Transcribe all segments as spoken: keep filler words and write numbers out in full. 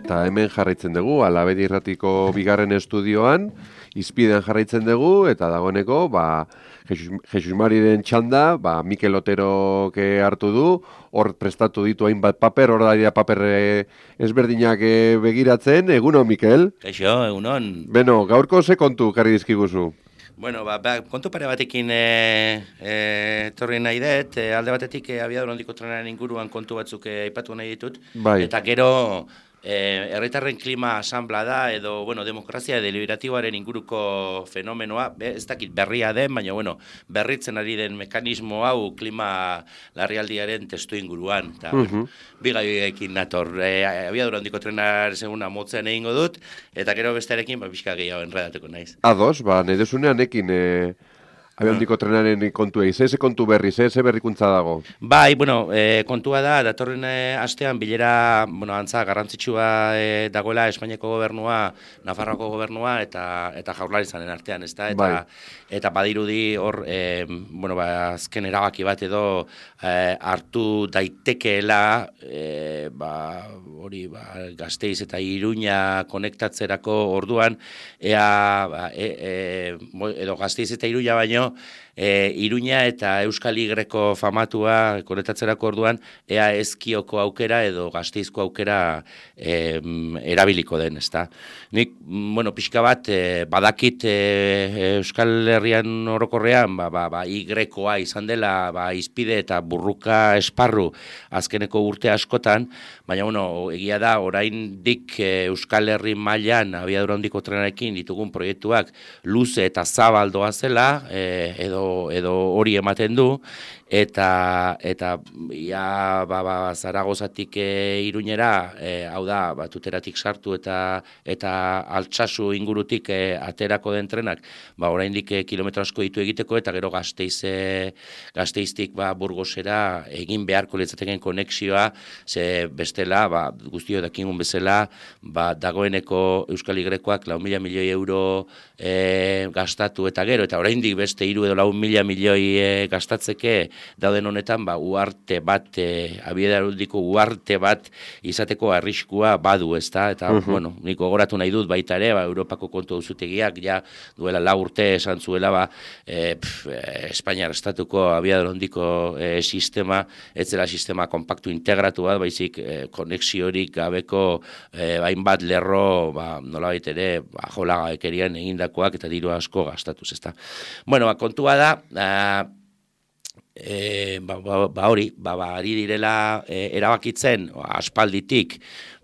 eta hemen jarraitzen dugu, Alabedi Irratiko bigarren estudioan, izpidean jarraitzen dugu, eta dagoeneko, ba, Jesus, Jesus Mariren txanda, ba, Mikel Otero hartu du, hor prestatu ditu hainbat paper, hor da dira paper ezberdinak begiratzen, egunon, Mikel? Kaixo, egunon. Beno, gaurko ze kontu karri dizkiguzu? Bueno, ba, ba, kontu pare batekin e, e, torri nahi dut, e, alde batetik e, abiadura handiko trenaren inguruan kontu batzuk e, aipatu nahi ditut, bai. Eta gero e, herritarren klima asanbla da, edo, bueno, demokrazia deliberatiboaren inguruko fenomenoa, be, ez dakit berria den, baina, bueno, berritzen ari den mekanismo hau klima larrialdiaren testu inguruan, eta, uh -huh. bigaioekin nator, e, abiadura handiko trenar seguna motzean egingo dut, eta gero bestearekin, ba, pixka gehiago enredatuko naiz. Ados, ba, nahi desunean ekin, e, abiadura handiko trenaren kontua, ze kontu berri, ze berrikuntza dago? Bai, bueno, e, kontua da, datorren e, astean bilera, bueno, antza, garrantzitsua e, dagoela Espainiako gobernua, Nafarroako gobernua, eta eta Jaurlaritzaren artean, ezta? Eta, bai. Eta badirudi hor, e, bueno, ba, azken erabaki bat edo e, hartu daitekeela, e, ba, hori, ba, Gasteiz eta Iruña konektatzerako orduan, ea, ba, e, e, edo Gasteiz eta Iruña baino, E, Iruña eta Euskal Igreko famatua konektatzerako orduan ea ezkioko aukera edo Gasteizko aukera e, erabiliko den, ezta. Nik, bueno, pixka bat e, badakit e, Euskal Herrian orokorrean ba, ba, ba, Igrekoa izan dela ba, izpide eta burruka esparru azkeneko urte askotan, baina bueno, egia da oraindik e, Euskal Herri mailan abiadura handiko trenarekin ditugun proiektuak luze eta zabaldoa zela, e, edo edo hori ematen du, eta eta ja ba, ba, Zaragozatik e, Iruñera, e, hau da, ba, Tuteratik sartu eta eta Altsasu ingurutik e, aterako den trenak, ba, oraindik e, kilometro asko ditu egiteko, eta gero Gasteiz, e, Gasteiztik ba, Burgosera egin beharko litzateken konexioa, ze bestela, ba, guztio dakingun bezala, ba, dagoeneko Euskal Igrekoak lau mila milioi euro e, gastatu eta gero, eta oraindik beste hiru edo lau mila milioi e, gastatzeke dauden honetan, ba, uarte bat, e, abiadurandiko uarte bat izateko arriskua badu, ezta? Eta, uh -huh. bueno, niko gogoratu nahi dut baita ere, ba, Europako kontu auzutegiak ja duela lau urte esan zuela, ba, e, pf, e, Espainiar estatuko abiadurandiko e, sistema, ez zela sistema kompaktu integratu bat, baizik e, konexiorik gabeko e, hainbat lerro, ba, nolabait ere, ba, jolagabekerian egindakoak eta diru asko gastatuz, ezta? Bueno, ba, kontua da, a, E, ba, ba, ba hori, ba, ba, ari direla e, erabakitzen, aspalditik,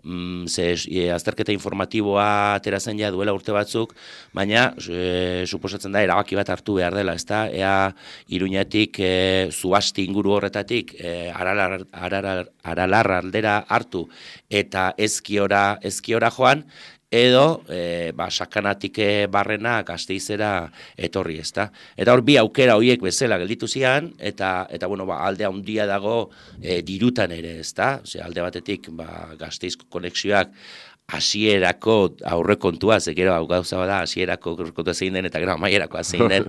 mm, ze e, azterketa informatiboa ateratzen ja duela urte batzuk, baina e, suposatzen da erabaki bat hartu behar dela, ezta? Ea Iruñatik e, zuasti inguru horretatik e, aralar, aralar, aralar aldera hartu eta ezkiora, ezkiora joan, edo e, ba, sakanatik barrena Gasteizera etorri, ezta. Eta hor bi aukera horiek bezala gelditu zian, eta eta bueno, ba, alde handia dago e, dirutan ere, ezta. Ose, alde batetik ba, Gasteizko konexioak hasierako aurrekontua, ze gero hau gauza bada hasierako aurrekontua zein den eta gero amaierako zein den,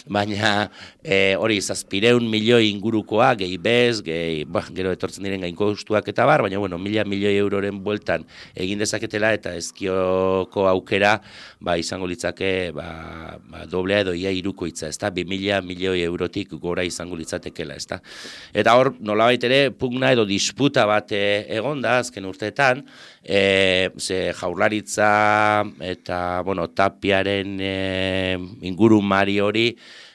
baina e, hori zazpireun milioi ingurukoa, gehi bez, gehi, bah, gero etortzen diren gainkostuak eta bar, baina bueno, mila milioi euroren bueltan egin dezaketela eta ezkioko aukera ba, izango litzake ba, ba, doblea edo ia irukoitza, ezta, bi mila milioi eurotik gora izango litzatekela, ezta. Eta hor, nolabait ere, pugna edo disputa bat e, egonda azken urteetan, e, ze Jaurlaritza eta bueno, Tapiaren e, ingurumari hori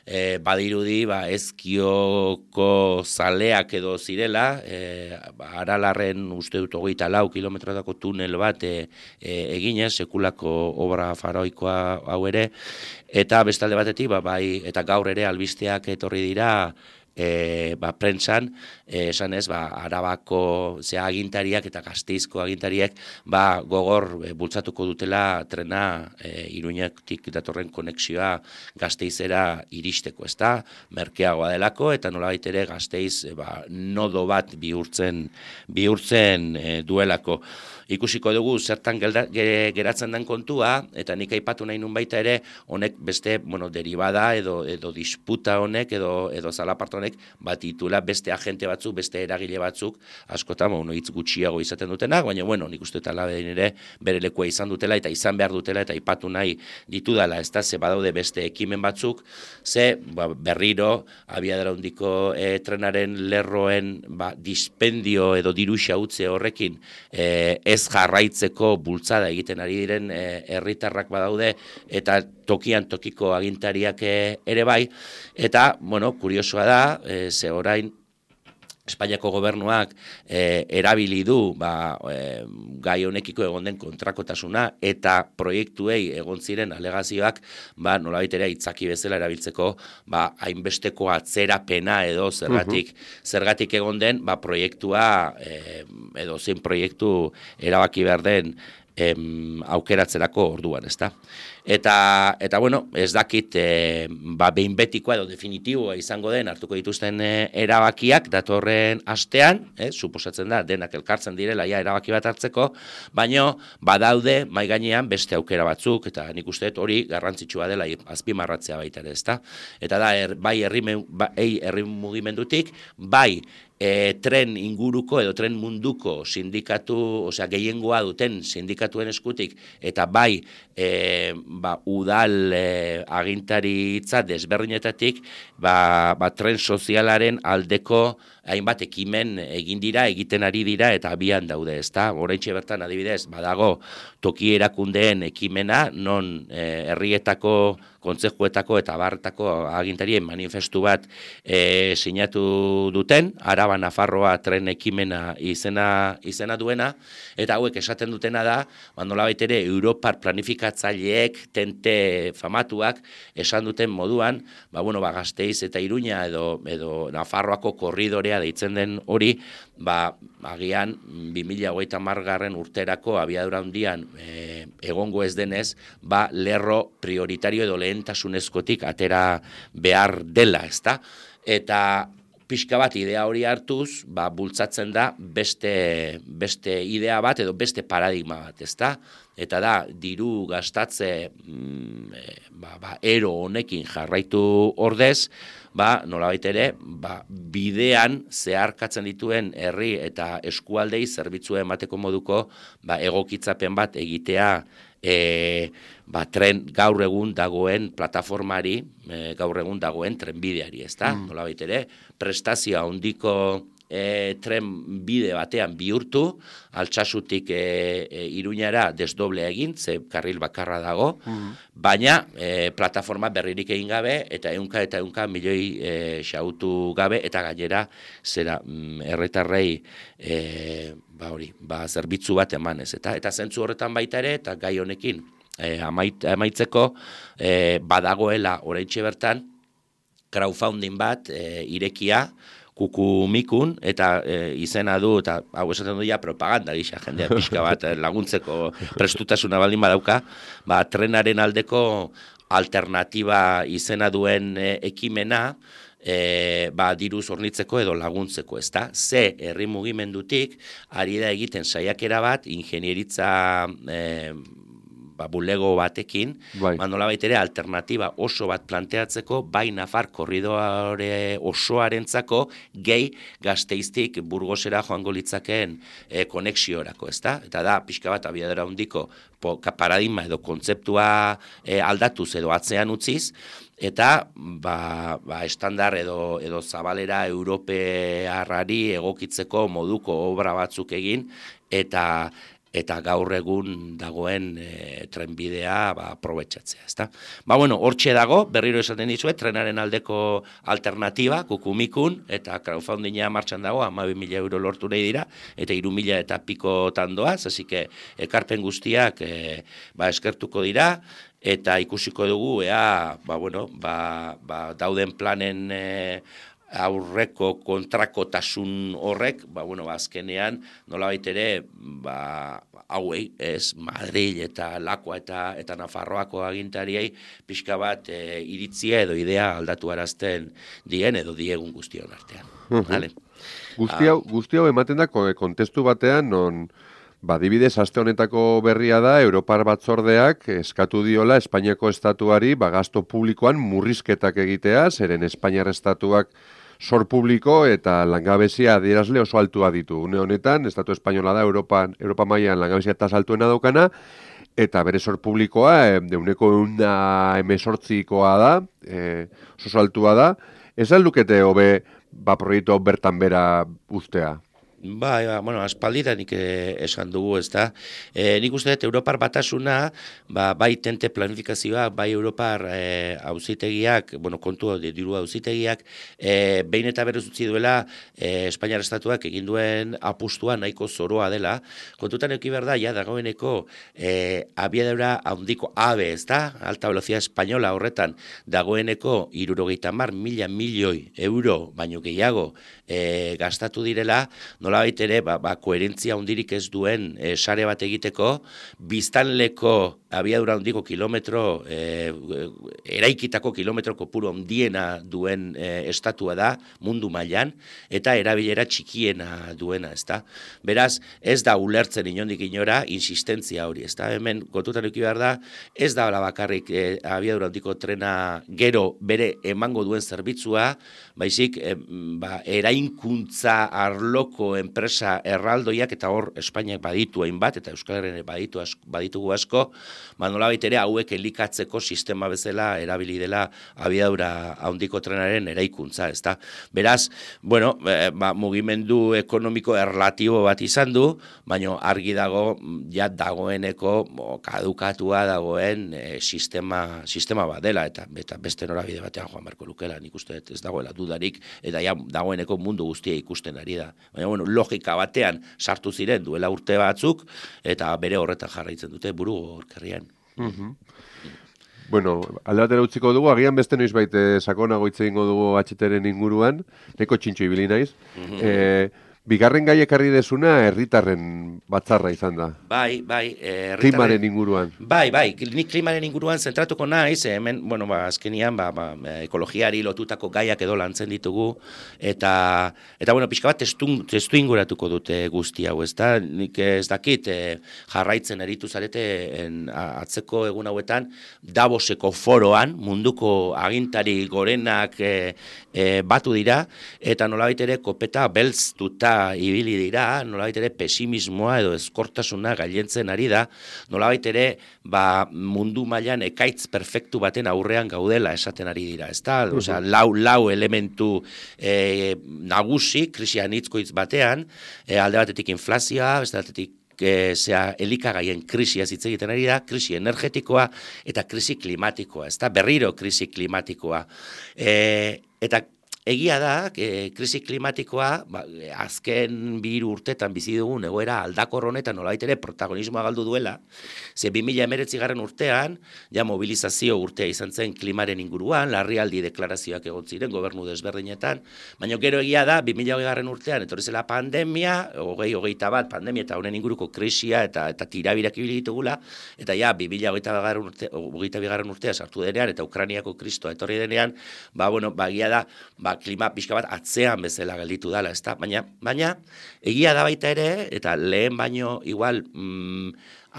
e, badirudi ba, ezkioko zaleak edo zirela, e, ba, Aralarren uste dut hogeita lau kilometrotako tunel bat e, e, eginez, sekulako obra faraoikoa hau ere, eta bestalde batetik, ba, bai, eta gaur ere albisteak etorri dira, E, ba, prentsan, e, esan ez, ba, Arabako zea agintariak eta Gasteizko agintariak ba, gogor e, bultzatuko dutela trena e, Iruñatik datorren konexioa Gasteizera iristeko, ezta? Merkeagoa delako eta nolabait ere Gasteiz e, ba, nodo bat bihurtzen, bihurtzen e, duelako. Ikusiko dugu zertan gelda, geratzen den kontua, eta nik aipatu nahi nun baita ere, honek beste, bueno, derivada edo, edo disputa honek, edo, edo zalaparta honek, honek bat ditula beste agente batzuk, beste eragile batzuk, askotan, bueno, hitz gutxiago izaten dutenak, baina, bueno, nik uste eta labedin ere bere lekua izan dutela eta izan behar dutela eta ipatu nahi ditudala, ez da, ze badaude beste ekimen batzuk, ze ba, berriro abiadura handiko e, trenaren lerroen ba, dispendio edo diruxa utze horrekin e, ez jarraitzeko bultzada egiten ari diren herritarrak e, badaude eta tokian tokiko agintariak e, ere bai, eta, bueno, kuriosoa da, e, ze orain Espainiako gobernuak eh, erabili du ba, eh, gai honekiko egon den kontrakotasuna eta proiektuei egon ziren alegazioak ba, nolabait ere itzaki bezala erabiltzeko ba, hainbesteko atzerapena edo zergatik, uh-huh. zergatik egon den ba, proiektua eh, edo zein proiektu erabaki behar den em, aukeratzerako orduan, ezta? Eta, eta bueno, ez dakit e, ba, behin betikoa edo definitiboa izango den hartuko dituzten e, erabakiak datorren astean, eh, suposatzen da, denak elkartzen direla ja erabaki bat hartzeko, baino badaude mai gainean beste aukera batzuk, eta nik uste dut hori garrantzitsua dela azpimarratzea baita ere, ezta? Eta da, er, bai herri ba, herri mugimendutik, bai E, tren inguruko edo tren munduko sindikatu, osea gehiengoa duten sindikatuen eskutik, eta bai e, ba, udal e, agintaritza desberdinetatik, ba, ba, tren sozialaren aldeko hainbat ekimen egin dira, egiten ari dira, eta abian daude, ezta? Oraintxe bertan adibidez, badago toki erakundeen ekimena, non e, herrietako kontzejuetako eta barretako agintarien manifestu bat e, sinatu duten, Araba Nafarroa tren ekimena izena, izena duena, eta hauek esaten dutena da, nolabait ere Europar planifikatzaileek tente famatuak esan duten moduan, ba, bueno, ba, Gasteiz eta Iruña edo, edo Nafarroako korridorea deitzen den hori, ba, agian bi mila hogeita hamargarren urterako abiadura handian e, egongo ez denez, ba, lerro prioritario edo lehentasunezkotik atera behar dela, ezta? Eta pixka bat idea hori hartuz, ba, bultzatzen da beste, beste idea bat edo beste paradigma bat, ezta? Eta da, diru gastatze mm, e, ba, ba, ero honekin jarraitu ordez, ba, nolabait ere, ba, bidean zeharkatzen dituen herri eta eskualdei zerbitzua emateko moduko ba, egokitzapen bat egitea e, ba, tren gaur egun dagoen plataformari, e, gaur egun dagoen trenbideari, ezta? Mm. Nolabait ere, prestazioa handiko E, tren bide batean bihurtu, Altsasutik e, e, Iruñara desdoblea egin, ze karril bakarra dago, mm. baina e, plataforma berririk egin gabe, eta ehunka eta ehunka milioi e, xautu gabe, eta gainera zera mm, erretarrei e, ba hori, ba zerbitzu bat emanez, eta eta zentzu horretan baita ere, eta gai honekin e, amait, amaitzeko e, badagoela oraintxe bertan crowdfunding bat e, irekia, kukumikun, eta e, izena du, eta hau esaten du ja propaganda gisa, jendea pixka bat laguntzeko prestutasuna baldin badauka, ba, trenaren aldeko alternatiba izena duen e, ekimena, e, ba, diruz hornitzeko edo laguntzeko, ezta? Ze herri mugimendutik, ari da egiten saiakera bat, ingenieritza e, ba, bulego batekin, bai. Nolabait ere alternatiba oso bat planteatzeko, bai Nafar korridore osoarentzako gehi Gasteiztik Burgosera joango litzakeen e, konexiorako, ezta? Eta da, pixka bat abiadura handiko paradigma edo kontzeptua e, aldatuz edo atzean utziz, eta ba, ba, estandar edo, edo zabalera europearrari egokitzeko moduko obra batzuk egin, eta eta gaur egun dagoen e, trenbidea ba, aprobetxatzea, ezta? Ba, bueno, hortxe dago, berriro esaten dizuet, trenaren aldeko alternatiba, kukumikun, eta crowdfundinga martxan dago, hamabi mila euro lortu nahi dira, eta hiru mila eta piko tandoaz, así que ekarpen guztiak e, ba, eskertuko dira, eta ikusiko dugu, ea, ba, bueno, ba, ba, dauden planen e, aurreko kontrakotasun horrek, ba, bueno, ba, azkenean, nolabait ere, ba, hauei, ez, Madrid eta Lakua eta, eta Nafarroako agintariei, pixka bat e, iritzia edo idea aldatu arazten dien edo diegun guztion artean. Vale? Guzti hau, guzti hau ematen da kontestu batean, non, ba, dibidez, aste honetako berria da, Europar batzordeak eskatu diola Espainiako estatuari, ba, gasto publikoan murrizketak egitea, zeren Espainiar estatuak zor publiko eta langabezia adierazle oso altua ditu. Une honetan, Estatu Espainola da Europan, Europa mailan langabezia tasa altuena daukana, eta bere zor publikoa e, deuneko eunda emesortzikoa da, e, oso altua da. Ez aldukete hobe ba, proiektu hau bertan bera uztea? Bai, ba, bueno, aspaldiranik eh, esan dugu, ez da. E, nik uste dut, Europar batasuna, ba, bai tente planifikazioa, bai Europar e, auzitegiak, bueno, kontu diru auzitegiak, e, behin eta berrez utzi duela, e, Espainiar Estatuak egin duen apustua nahiko zoroa dela. Kontutan eki behar da, ja, dagoeneko, e, abiadura handiko AVE, ez da, alta velocidad espainola horretan, dagoeneko, irurogeita mar mila milioi euro, baino gehiago, e, gastatu direla, nolabait ere, ba, ba, koherentzia hundirik ez duen e, sare bat egiteko, biztanleko abiadura handiko kilometro, e, eraikitako kilometro kopuru handiena duen e, estatua da, mundu mailan, eta erabilera txikiena duena, ezta. Beraz, ez da ulertzen inondik inora, insistentzia hori, ezta. Hemen, kontutan eduki behar da, ez da bakarrik e, abiadura handiko trena gero bere emango duen zerbitzua, baizik, e, ba, erainkuntza arloko enpresa erraldoiak, eta hor Espainiak baditu hainbat, eta Euskal Herrian baditu asko, baditugu asko, ba, nolabait ere hauek elikatzeko sistema bezala erabili dela abiadura handiko trenaren eraikuntza, ezta. Beraz, bueno, e, ba, mugimendu ekonomiko erlatibo bat izan du, baina argi dago, ja dagoeneko bo, kadukatua dagoen e, sistema, sistema bat dela, eta, eta beste norabide batean joan beharko lukela, nik uste ez dagoela dudarik, eta ja dagoeneko mundu guztia ikusten ari da. Baina, bueno, logika batean sartu ziren duela urte batzuk, eta bere horretan jarraitzen dute buru horkerrian. Mm-hmm. Bueno, alde batera utziko dugu, agian beste noiz baite sakonago hitz egingo dugu H T-ren inguruan, neko txintxo ibili naiz. Mm-hmm. E, bigarren gai ekarri desuna herritarren batzarra izan da. Bai, bai. Eh, klimaren inguruan. Bai, bai, nik klimaren inguruan zentratuko naiz, hemen, bueno, ba, azkenian, ba, ba, ekologiari lotutako gaiak edo lantzen ditugu, eta, eta bueno, pixka bat testu, testu inguratuko dute guzti hau, ez da, nik ez dakit eh, jarraitzen eritu zarete en, atzeko egun hauetan, Davoseko foroan, munduko agintari gorenak eh, eh, batu dira, eta nolabait ere kopeta belztuta ibili dira, nolabait ere pesimismoa edo ezkortasuna gailentzen ari da, nolabait ere ba, mundu mailan ekaitz perfektu baten aurrean gaudela esaten ari dira, ezta? Uh-huh. Osea, lau, lau elementu e, nagusi, krisian hitzkoitz batean, e, alde batetik inflazioa, beste batetik E, zea elikagaien krisia hitz egiten ari da, krisi energetikoa eta krisi klimatikoa, ezta berriro krisi klimatikoa. E, eta egia da, e, krisi klimatikoa, ba, azken bi hiru urtetan bizi dugun egoera aldakor honetan nolabait ere protagonismoa galdu duela, ze bi mila hemeretzi garren urtean, ja mobilizazio urtea izan zen klimaren inguruan, larrialdi deklarazioak egon ziren gobernu desberdinetan, baina gero egia da, bi mila hogei garren urtean, etorri zela pandemia, hogei, hogeita bat, pandemia eta honen inguruko krisia eta, eta tirabirak ibili ditugula, eta ja, bi mila hogeita bigarren urtea sartu denean, eta Ukrainiako kristoa etorri denean, ba, bueno, ba, egia da, ba, klima pixka bat atzean bezala gelditu dela, ezta? Baina, baina, egia da baita ere, eta lehen baino igual mm,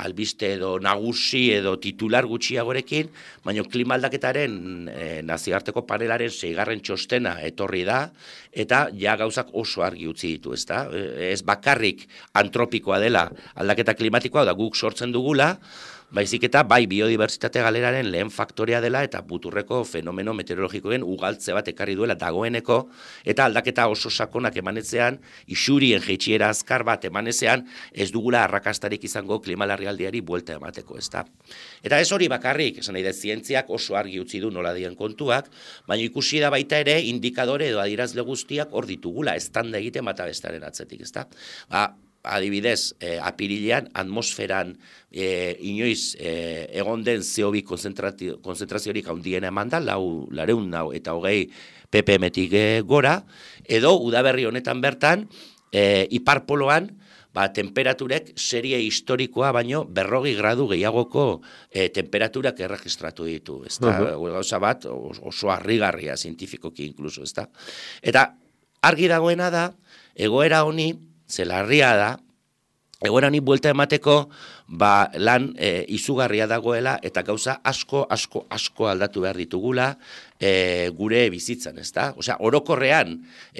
albiste edo nagusi edo titular gutxiagorekin, baina klima aldaketaren e, nazioarteko panelaren seigarren txostena etorri da, eta ja gauzak oso argi utzi ditu, ezta? Ez bakarrik antropikoa dela aldaketa klimatikoa, da guk sortzen dugula, baizik eta bai biodibertsitate galeraren lehen faktorea dela eta buturreko fenomeno meteorologikoen ugaltze bat ekarri duela dagoeneko, eta aldaketa oso sakonak emanetzean, isurien jeitsiera azkar bat emanetzean, ez dugula arrakastarik izango klima larrialdiari buelta emateko, ezta. Eta ez hori bakarrik, esan nahi da, zientziak oso argi utzi du nola dien kontuak, baina ikusi da baita ere indikadore edo adierazle guztiak hor ditugula, estanda egiten bata bestaren atzetik, ezta. Ba, adibidez, eh, apirilean atmosferan eh, inoiz eh, egon den C O bi konzentraziorik handiena eman da, lau, lareun nau eta hogei ppm-tik eh, gora, edo udaberri honetan bertan, eh, iparpoloan, ba, temperaturek serie historikoa baino berrogi gradu gehiagoko eh, temperaturak erregistratu ditu, ezta? Uh-huh. Gauza bat oso harrigarria zientifikoki inkluso, ezta? Eta argi dagoena da, egoera honi, ze larria da, egoera honi buelta emateko, ba, lan e, izugarria dagoela, eta gauza asko, asko, asko aldatu behar ditugula e, gure bizitzan, ezta? Osea, orokorrean,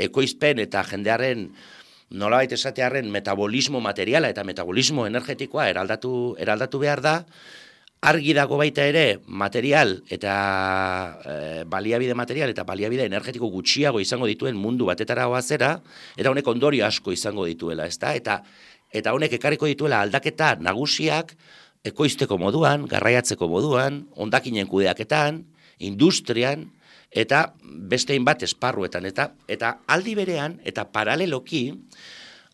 ekoizpen eta jendearen, nolabait esatearen metabolismo materiala eta metabolismo energetikoa eraldatu, eraldatu behar da, argi dago baita ere material eta e, baliabide material eta baliabide energetiko gutxiago izango dituen mundu batetara goazera, eta honek ondorio asko izango dituela, ezta? Eta eta honek ekarriko dituela aldaketa nagusiak ekoizteko moduan, garraiatzeko moduan, hondakinen kudeaketan, industrian, eta beste hainbat esparruetan, eta eta aldi berean, eta paraleloki,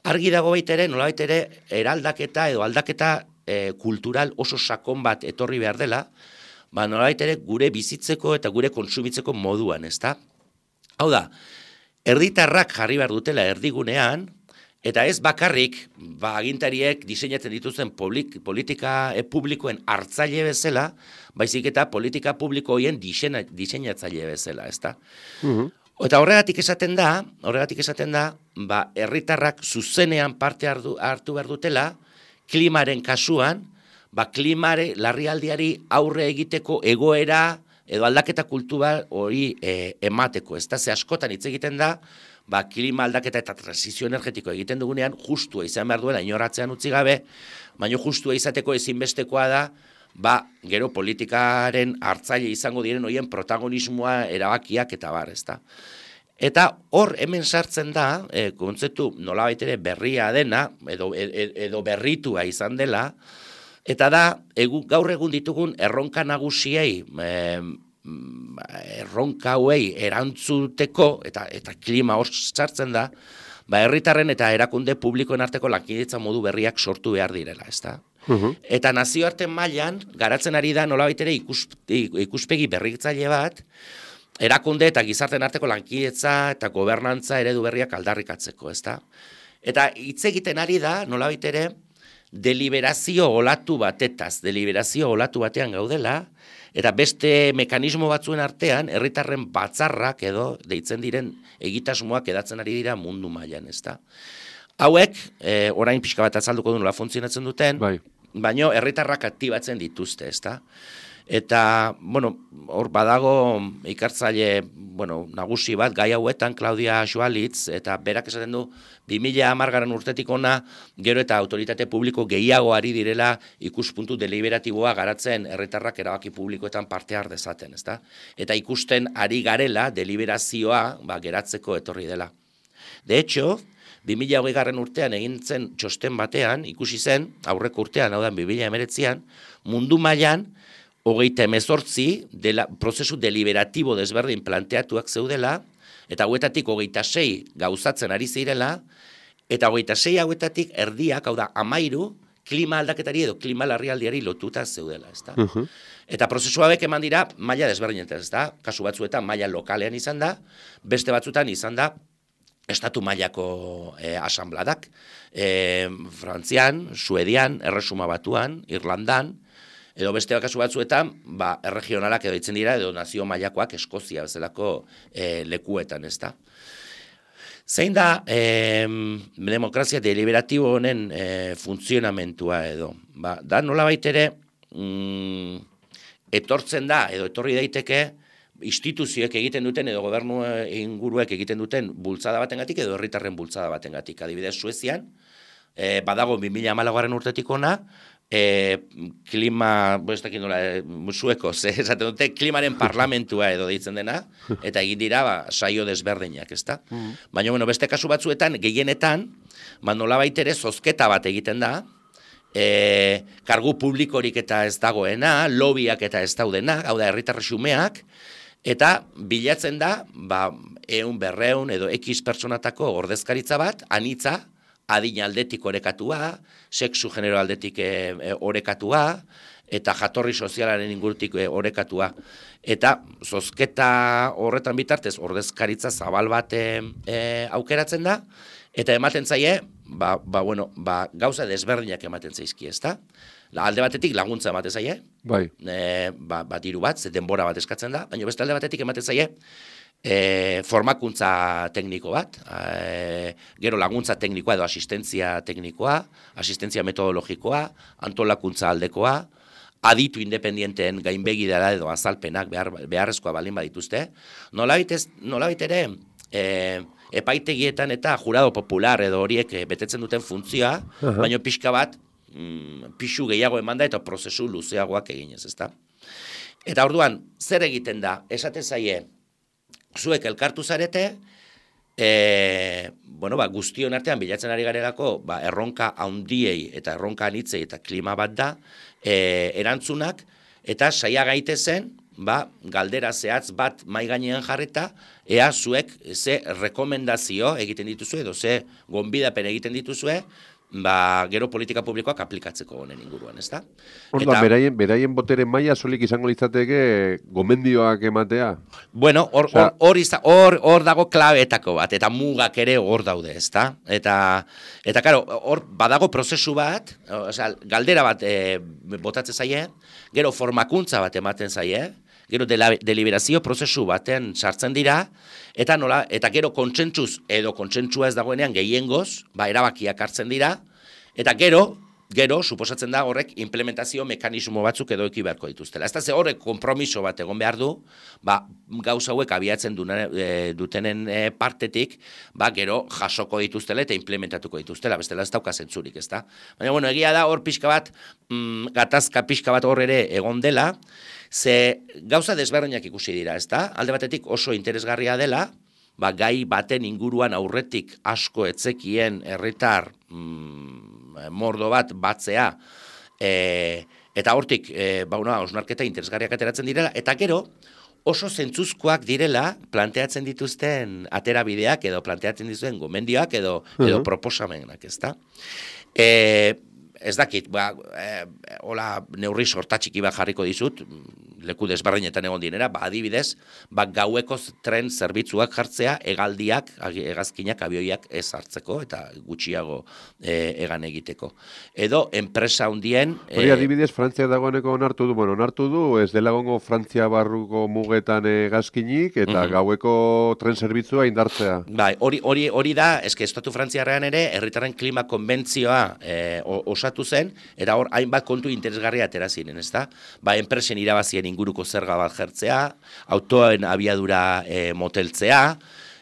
argi dago baita ere, nolabait ere, eraldaketa edo aldaketa e, kultural oso sakon bat etorri behar dela, ba nolabait ere gure bizitzeko eta gure kontsumitzeko moduan, ezta? Hau da, herritarrak jarri behar dutela erdigunean, eta ez bakarrik, ba, agintariek diseinatzen dituzten politika e, publikoen hartzaile bezala, baizik eta politika publiko horien diseinatzaile bezala, ezta? Uh-huh. Eta horregatik esaten da, horregatik esaten da, ba, herritarrak zuzenean parte hartu, hartu behar dutela, klimaren kasuan, ba, klimare larrialdiari aurre egiteko egoera edo aldaketa kultura hori e, emateko, ezta? Ze askotan hitz egiten da, ba, klima aldaketa eta transizio energetiko egiten dugunean, justua izan behar duela, inoratzean utzi gabe, baina justua izateko ezinbestekoa da, ba, gero politikaren hartzaile izango diren horien protagonismoa erabakiak eta bar, ezta. Eta hor hemen sartzen da, e, kontzeptu nolabait ere berria dena, edo, edo berritua izan dela, eta da, egu, gaur egun ditugun erronka nagusiei, e, erronka hauei erantzuteko, eta eta klima hor sartzen da, ba, herritarren eta erakunde publikoen arteko lankidetza modu berriak sortu behar direla, ezta? Uh-huh. Eta nazioarte mailan garatzen ari da nolabait ere ikus, ikuspegi berritzaile bat, erakunde eta gizarteen arteko lankidetza eta gobernantza eredu berriak aldarrikatzeko, ezta? Eta hitz egiten ari da nolabait ere deliberazio olatu batetaz, deliberazio olatu batean gaudela, eta beste mekanismo batzuen artean, herritarren batzarrak edo deitzen diren egitasmoak edatzen ari dira mundu mailan, ezta? Hauek, e, orain pixka bat azalduko du nola funtzionatzen duten, bai. Baino herritarrak aktibatzen dituzte, ezta? Eta, bueno, hor badago ikertzaile, bueno, nagusi bat, gai hauetan, Claudia Schwalitz, eta berak esaten du, bi mila hamargarren urtetik ona, gero eta autoritate publiko gehiago ari direla ikuspuntu deliberatiboa garatzen herritarrak erabaki publikoetan parte har dezaten, ezta? Eta ikusten ari garela deliberazioa, ba, geratzeko etorri dela. De hecho, bi mila hogeigarren urtean egin zen txosten batean, ikusi zen, aurreko urtean, hau da, bi mila hemeretzian, mundu mailan, hogeita hemezortzi dela, prozesu deliberatibo desberdin planteatuak zeudela, eta hauetatik hogeita sei gauzatzen ari zirela, eta hogeita sei hauetatik erdiak, hau da, amairu, klima aldaketari edo klima larrialdiari lotuta zeudela, ezta? Uh-huh. Eta prozesu hauek eman dira maila desberdinetan, ezta? Kasu batzuetan maila lokalean izan da, beste batzuetan izan da estatu mailako eh, asanbladak, eh, Frantzian, Suedian, Erresuma Batuan, Irlandan, edo beste kasu batzuetan, ba, erregionalak edo ditzen dira, edo nazio mailakoak Eskozia bezalako e, lekuetan, ezta. Zein da e, demokrazia deliberatibo honen e, funtzionamentua edo? Ba, da nolabait ere mm, etortzen da, edo etorri daiteke, instituzioek egiten duten, edo gobernu inguruek egiten duten bultzada batengatik, edo herritarren bultzada batengatik. Adibidez, Suezian, e, badago bi mila hamalaugarren urtetik ona, E, klima, ez dakit nola, e, sueko, ze, esaten dute, klimaren parlamentua edo deitzen dena, eta egin dira, ba, saio desberdinak, ezta? Mm. Baina, bueno, beste kasu batzuetan, gehienetan, ba, nolabait ere zozketa bat egiten da, e, kargu publikorik eta ez dagoena, lobiak eta ez daudena, hau da, herritar xumeak, eta bilatzen da, ba, eun berreun edo X pertsonatako ordezkaritza bat, anitza, adin aldetik orekatua, sexu genero aldetik e, e, orekatua, eta jatorri sozialaren ingurutik e, orekatua. Eta zozketa horretan bitartez, ordezkaritza zabal bat e, e, aukeratzen da, eta ematen zaie, ba, ba, bueno, ba, gauza desberdinak ematen zaizki, ezta? Alde batetik laguntza ematen zaie, bai. E, ba, ba, diru bat, ze denbora bat eskatzen da, baina beste alde batetik ematen zaie, E, formakuntza tekniko bat, e, gero laguntza teknikoa edo asistentzia teknikoa, asistentzia metodologikoa, antolakuntza aldekoa, aditu independienteen gainbegidara edo azalpenak behar, beharrezkoa balin badituzte. Nolabait ez, nolabait ere, e, epaitegietan eta jurado popular edo horiek betetzen duten funtzioa, uh-huh. baina pixka bat, mm, pixu gehiago emanda eta prozesu luzeagoak eginez, ezta? Eta orduan, zer egiten da? Esate zaie, zuek elkartu zarete, e, bueno, ba, guztion artean bilatzen ari garelako, ba, erronka handiei eta erronka anitzei eta klima bat da, e, erantzunak, eta saia gaitezen, ba, galdera zehatz bat mai gainean jarrita, ea zuek ze rekomendazio egiten dituzue, edo ze gonbidapen egiten dituzue, ba, gero politika publikoak aplikatzeko honen inguruan, ezta? Orda, beraien, beraien botere maila solik izango litzateke gomendioak ematea? Bueno, hor Osea, hor hor hor dago klabeetako bat, eta mugak ere hor daude, ezta? Eta, eta karo, hor badago prozesu bat, osea, galdera bat e, botatzen zaie, gero formakuntza bat ematen zaie, gero dela, deliberazio prozesu baten sartzen dira, eta nola, eta gero kontsentsuz edo kontsentsua ez dagoenean gehiengoz, ba, erabakiak hartzen dira, eta gero, gero, suposatzen da horrek implementazio mekanismo batzuk edo eki beharko dituztela. Ez da ze horrek konpromiso bat egon behar du, ba, gauza hauek abiatzen dune, e, dutenen e, partetik, ba, gero jasoko dituztela eta implementatuko dituztela, bestela ez dauka zentzurik, ez da? Baina, bueno, egia da hor pixka bat, mm, gatazka pixka bat hor ere egon dela, ze gauza desberdinak ikusi dira, ez da? Alde batetik oso interesgarria dela, ba, gai baten inguruan aurretik asko etzekien herritar mm, mordo bat batzea, e, eta hortik, e, ba, una, osnarketa interesgarriak ateratzen direla, eta gero, oso zentzuzkoak direla planteatzen dituzten aterabideak edo planteatzen dituzten gomendioak edo, edo proposamenak, ez da? E, ez dakit, ba, e, hola neurri sortatxiki bat jarriko dizut, leku desberdinetan egon dinera, ba, adibidez, ba, gaueko tren zerbitzuak jartzea, hegaldiak, hegazkinak, abioiak ez hartzeko, eta gutxiago e, egan egiteko. Edo, enpresa hundien... Hori, e, adibidez, Frantzia dagoeneko onartu du, bueno, onartu du, ez dela gongo Frantzia barruko mugetan hegazkinik, eta uh-huh. gaueko tren zerbitzua indartzea. Bai, hori, hori, hori da, eske estatu frantziarrean ere, herritarren klima konbentzioa e, osatu zen, eta hor, hainbat kontu interesgarria atera ziren, ezta? Ba, enpresen irabazien inguruko zerga bat jertzea, autoen abiadura e, moteltzea,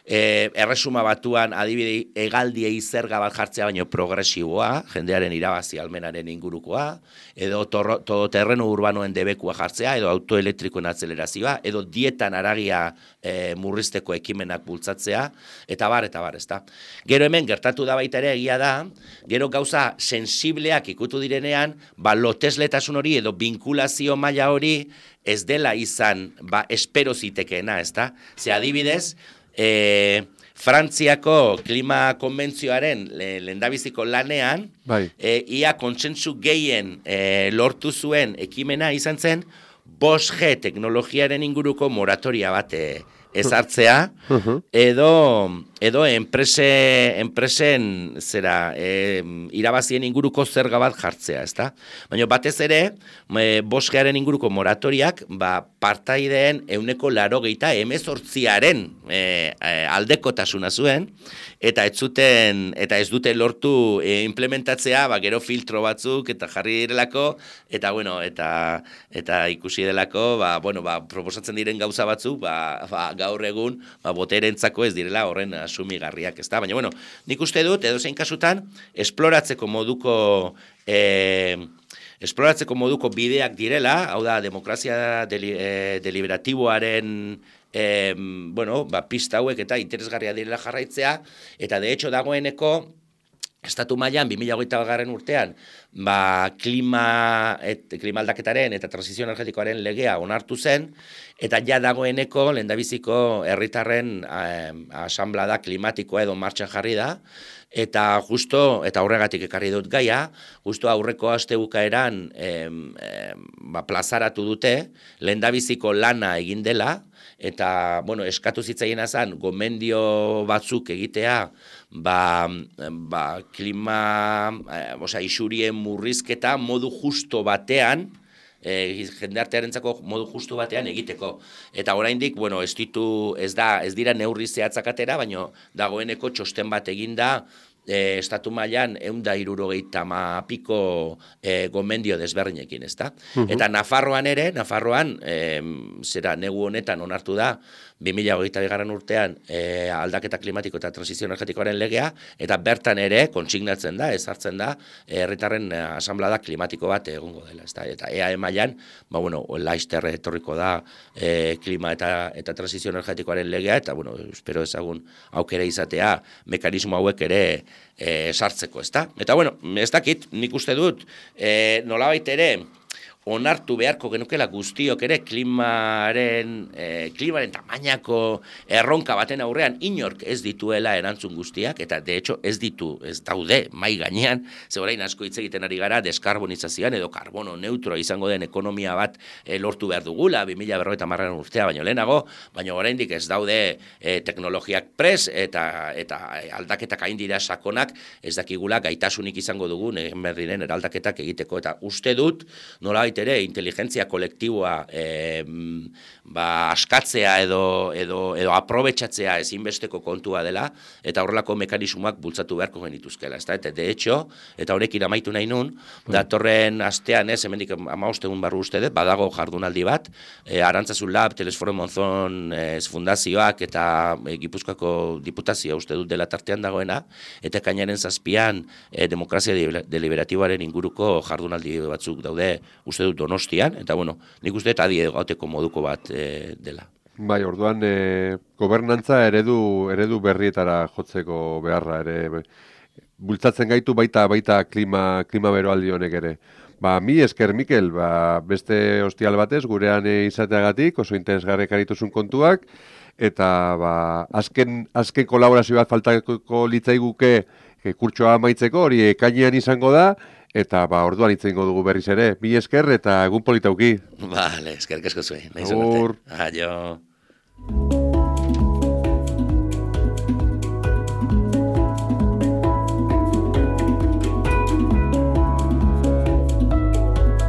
e, erresuma batuan adibide hegaldiei zerga bat jartzea baino progresiboa, jendearen irabazi almenaren ingurukoa, edo torro, todo terreno urbanoen debekua jartzea, edo autoelektrikoen atzelerazioa, edo dietan aragia e, murrizteko ekimenak bultzatzea, eta bar, eta bar, ezta. Gero hemen gertatu da baita ere egia da, gero gauza sensibleak ikutu direnean, ba, lotesletasun hori edo binkulazio maila hori ez dela izan, ba, espero zitekeena, ezta? Ze adibidez, e, Frantziako klima konbentzioaren le, lehendabiziko lanean, bai. e, ia kontsentsu gehien e, lortu zuen ekimena izan zen, bost G teknologiaren inguruko moratoria bat e, ezartzea, uh-huh. edo, edo enprese, enpresen zera, e, irabazien inguruko zerga bat jartzea, ezta? Baina batez ere, e, boskearen inguruko moratoriak, ba, partaideen euneko laro geita emezortziaren e, e, aldekotasuna zuen, eta ez zuten, eta ez dute lortu e, implementatzea, ba, gero filtro batzuk, eta jarri direlako, eta bueno, eta, eta ikusi delako, ba, bueno, ba, proposatzen diren gauza batzuk, ba, ba, gaur egun, ba, boterentzako ez direla horren asumigarriak, ezta? Baina, bueno, nik uste dut, edo zein kasutan, esploratzeko moduko, e, esploratzeko moduko bideak direla, hau da, demokrazia deli, e, deliberatiboaren, e, bueno, ba, pista hauek eta interesgarria direla jarraitzea, eta de hecho dagoeneko, Estatu mailan bi mila hogeita batgarren urtean, ba, klima, et, klima aldaketaren eta transizio energetikoaren legea onartu zen, eta ja dagoeneko lehendabiziko herritarren eh, asanblada klimatikoa edo martxan jarri da, eta justo, eta horregatik ekarri dut gaia, justo aurreko aste bukaeran eh, eh, ba, plazaratu dute, lehendabiziko lana egin dela, eta, bueno, eskatu zitzaiena zen, gomendio batzuk egitea, ba, ba klima, eh, osea, isurien murrizketa modu justo batean e, jendartearentzako modu justu batean egiteko. Eta oraindik, bueno, ez ditu, ez da, ez dira neurri zehatzak atera, baina dagoeneko txosten bat eginda, E, estatu mailan ehun eta hirurogeita hamapiko e, gomendio desberdinekin, ezta? Uh-huh. Eta Nafarroan ere, Nafarroan, e, zera negu honetan onartu da, bi mila hogeita bigarren urtean e, aldaketa klimatiko eta transizio energetikoaren legea, eta bertan ere kontsignatzen da, ezartzen da, herritarren e, asanblada klimatiko bat egongo dela, ezta? Eta E A E mailan, ba bueno, laster etorriko da e, klima eta eta transizio energetikoaren legea, eta bueno, espero ezagun aukera izatea mekanismo hauek ere E, sartzeko, ezta? Eta bueno, ez dakit, nik uste dut, e, nolabait ere, onartu beharko genukela guztiok ere klimaren, e, klimaren tamainako erronka baten aurrean inork ez dituela erantzun guztiak, eta de hecho ez ditu, ez daude mai gainean, ze orain asko hitz egiten ari gara deskarbonizazioan edo karbono neutro izango den ekonomia bat e, lortu behar dugula, bi mila berrogeita hamarren urtea baino lehenago, baina oraindik ez daude e, teknologiak pres eta eta aldaketak hain dira sakonak, ez dakigula gaitasunik izango dugun egin behar diren eraldaketak egiteko, eta uste dut nolabait ere inteligentzia kolektiboa e, ba, askatzea edo, edo, edo aprobetxatzea ezinbesteko kontua dela, eta horrelako mekanismoak bultzatu beharko genituzkela. Ez da? Eta de hecho, eta honekin amaitu nahi nun, datorren astean ez, hemendik hamabost egun barru uste dut, badago jardunaldi bat, e, Arantzazu Lab, Telesforo Monzon e, fundazioak eta e, Gipuzkoako diputazioa uste dut dela tartean dagoena, eta kainaren zazpian e, demokrazia deliberatiboaren inguruko jardunaldi batzuk daude uste dut Donostian, eta bueno, nik uste dut adi gauteko moduko bat e, dela. Bai, orduan e, gobernantza eredu eredu berrietara jotzeko beharra ere bultzatzen gaitu baita baita klima klima beroaldi honek ere. Ba, mi esker Mikel, ba, beste ostial batez gurean e, izateagatik oso interesgarriak arituzun kontuak, eta ba, azken azken kolaborazio bat faltako litzaiguke e, kurtsoa amaitzeko, hori ekainean izango da. Eta ba, orduan hitz egingo dugu berriz ere. Mi esker eta egun politauki. Vale, eskerrik asko zuen. Agur. Aio.